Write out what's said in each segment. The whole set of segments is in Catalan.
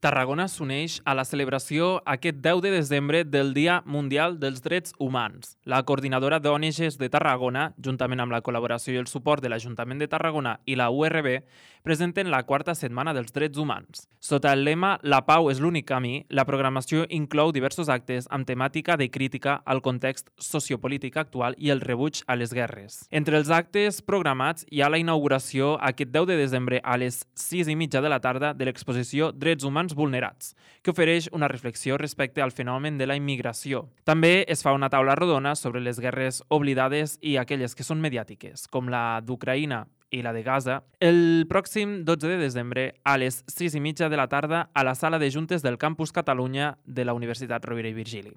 Tarragona s'uneix a la celebració aquest 10 de desembre del Dia Mundial dels Drets Humans. La coordinadora d'ONGs de Tarragona, juntament amb la col·laboració i el suport de l'Ajuntament de Tarragona i la URB, presenten la quarta setmana dels drets humans. Sota el lema «La pau és l'únic camí», la programació inclou diversos actes amb temàtica de crítica al context sociopolític actual i el rebuig a les guerres. Entre els actes programats hi ha la inauguració aquest 10 de desembre a les 6:30 de la tarda de l'exposició Drets Humans Vulnerats, que ofereix una reflexió respecte al fenomen de la immigració. També es fa una taula rodona sobre les guerres oblidades i aquelles que són mediàtiques, com la d'Ucraïna i la de Gaza, el pròxim 12 de desembre a les 6:30 de la tarda a la sala de juntes del Campus Catalunya de la Universitat Rovira i Virgili.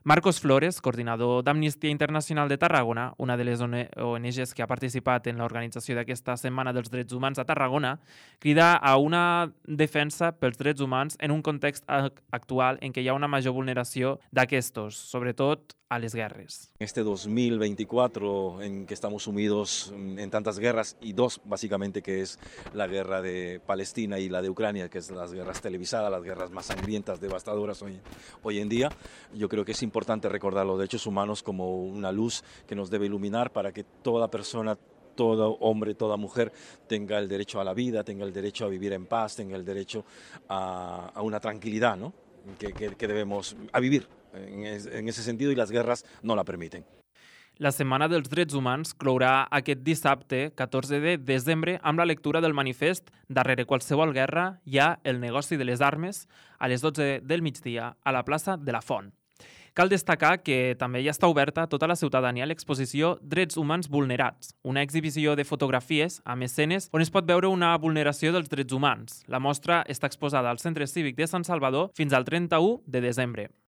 Marcos Flores, coordinador d'Amnistia Internacional de Tarragona, una de les ONGs que ha participat en l'organització d'aquesta Setmana dels Drets Humans a Tarragona, crida a una defensa pels drets humans en un context actual en què hi ha una major vulneració d'aquestos, sobretot a les guerres. Este 2024 en que estamos sumidos en tantas guerras y dos básicamente, que es la guerra de Palestina y la de Ucrania, que es las guerras televisadas, las guerras más sangrientas, devastadoras hoy en día, yo creo que es importante recordar los derechos humanos como una luz que nos debe iluminar para que toda persona, todo hombre, toda mujer tenga el derecho a la vida, tenga el derecho a vivir en paz, tenga el derecho a una tranquilidad, ¿no? que debemos a vivir en ese sentido, y las guerras no la permiten. La Setmana dels Drets Humans clourà aquest dissabte, 14 de desembre, amb la lectura del manifest «Darrere qualsevol guerra hi ha el negoci de les armes» a les 12 del migdia a la plaça de la Font. Cal destacar que també ja està oberta a tota la ciutadania l'exposició Drets Humans Vulnerats, una exhibició de fotografies amb escenes on es pot veure una vulneració dels drets humans. La mostra està exposada al Centre Cívic de Sant Salvador fins al 31 de desembre.